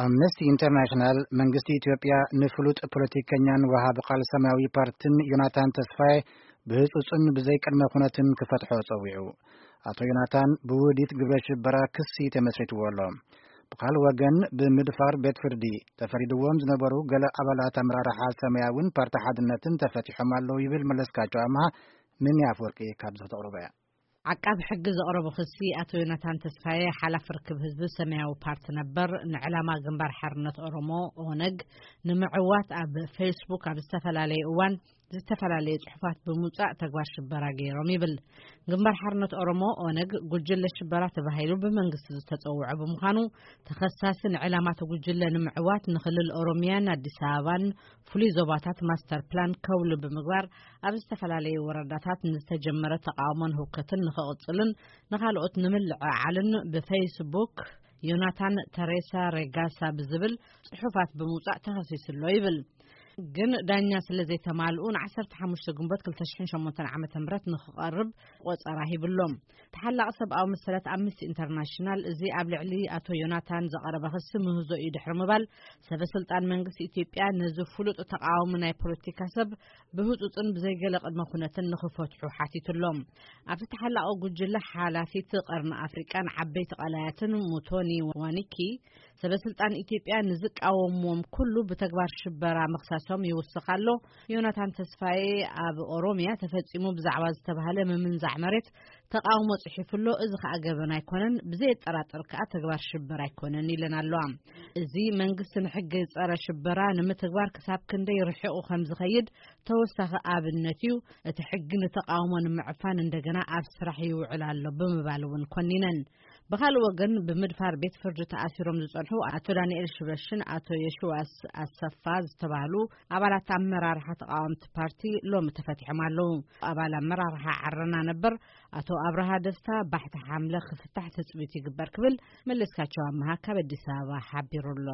ኣምነስቲ ኢንተርናሽናል መንግስቲ ኢትዮጵያ ንፍሉጥ ፖለቲከኛን ወሃቢ ቃል ሰማያዊ ፓርቲን ዮናታን ተስፋዬ ብህጹጽን ብዘይ ቅድመ ኩነትን ክፈትሖ ጸዊዑ። ኣቶ ዮናታን ብውዲት ግብረ ሽበራ ክሲ ተመስሪትዎ ኣሎ። ብኻል ወገን ብምድፋር ቤት ፍርዲ ተፈሪድዎም ዝነበሩ ገለ ኣባላት ኣመራርሓ ሰማያውን ፓርቲ ሓድነትን ተፈቲሖም ኣለዉ ይብል መለስካቸው ኣምሃ። ምን ኣፍወርቂ ካብ ዘተቕርበያ። ዓቃብ ሕጊ ዘቕረቦ ክሲ ኣቶ ዮናታን ተስፋዬ ሓላፍ ርክብ ህዝቢ ሰማያዊ ፓርቲ ነበር፣ ንዕላማ ግንባር ሓርነት ኦሮሞ ኦነግ ንምዕዋት ኣብ ፌስቡክ ኣብ ዝተፈላለየ እዋን ዝተፈላለየ ጽሑፋት ብምውጻእ ተግባር ሽበራ ገይሮም ይብል። ግንባር ሓርነት ኦሮሞ ኦነግ ጉጅለ ሽበራ ተባሂሉ ብመንግስቲ ዝተጸውዐ ብምዃኑ፣ ተኸሳሲ ንዕላማ እቲ ጉጅለ ንምዕዋት ንክልል ኦሮሚያን ኣዲስ ኣበባን ፍሉይ ዞባታት ማስተር ፕላን ከውሉ ብምግባር ኣብ ዝተፈላለዩ ወረዳታት ንዝተጀመረ ተቃውሞን ህውከትን ንክቕጽልን ንኻልኦት ንምልዕዓልን ብፌስቡክ ዮናታን ተሬሳ ሬጋሳ ብዝብል ጽሑፋት ብምውጻእ ተኸሲሱ ኣሎ ይብል። ግን ዳኛ ስለ ዘይተማልኡ ን15 ግንቦት 2008 ዓ.ም ንክቐርብ ቆጸራ ሂብሎም። ተሓላቒ ሰብኣዊ መሰላት ኣምነስቲ ኢንተርናሽናል እዚ ኣብ ልዕሊ ኣቶ ዮናታን ዘቐረበ ክሲ ምህዞ እዩ ድሕሪ ምባል፣ ሰበ ስልጣን መንግስቲ ኢትዮጵያ ነዚ ፍሉጥ ተቃዋሚ ናይ ፖለቲካ ሰብ ብህጹጽን ብዘይገለ ቅድመ ኩነትን ንክፈትሑ ሓቲቱሎም። ኣብቲ ተሓላቒ ጉጅለ ሓላፊት ቀርኒ ኣፍሪቃን ዓበይቲ ቀላያትን ሙቶኒ ዋኒኪ፣ ሰበ ስልጣን ኢትዮጵያ ንዝቃወምዎም ኩሉ ብተግባር ሽበራ ምኽሳሶም ይውስኽ ኣሎ። ዮናታን ተስፋዬ ኣብ ኦሮሚያ ተፈጺሙ ብዛዕባ ዝተባህለ ምምንዛዕ መሬት ተቃውሞ ጽሒፉ ኣሎ። እዚ ከኣ ገበን ኣይኮነን፣ ብዘየጠራጥር ከኣ ተግባር ሽበራ ኣይኮነን ኢለን ኣለዋ። እዚ መንግስቲ ንሕጊ ጸረ ሽበራ ንምትግባር ክሳብ ክንደይ ርሒቑ ከም ዝኸይድ ተወሳኺ ኣብነት እዩ። እቲ ሕጊ ንተቃውሞ ንምዕፋን እንደገና ኣብ ስራሕ ይውዕል ኣሎ ብምባል እውን ኮኒነን። ብኻልእ ወገን ብምድፋር ቤት ፍርዲ ተኣሲሮም ዝጸንሑ ኣቶ ዳንኤል ሽበሽን ኣቶ የሽዋስ ኣሰፋ ዝተባህሉ ኣባላት ኣመራርሓ ተቃወምቲ ፓርቲ ሎሚ ተፈቲሖም ኣለዉ። ኣባል ኣመራርሓ ዓረና ነበር ኣቶ ኣብርሃ ደስታ ባሕቲ ሓምለ ክፍታሕ ትጽቢት ይግበር ክብል መለስካቸው ኣምሃ ካብ ኣዲስ ኣበባ ሓቢሩ ኣሎ።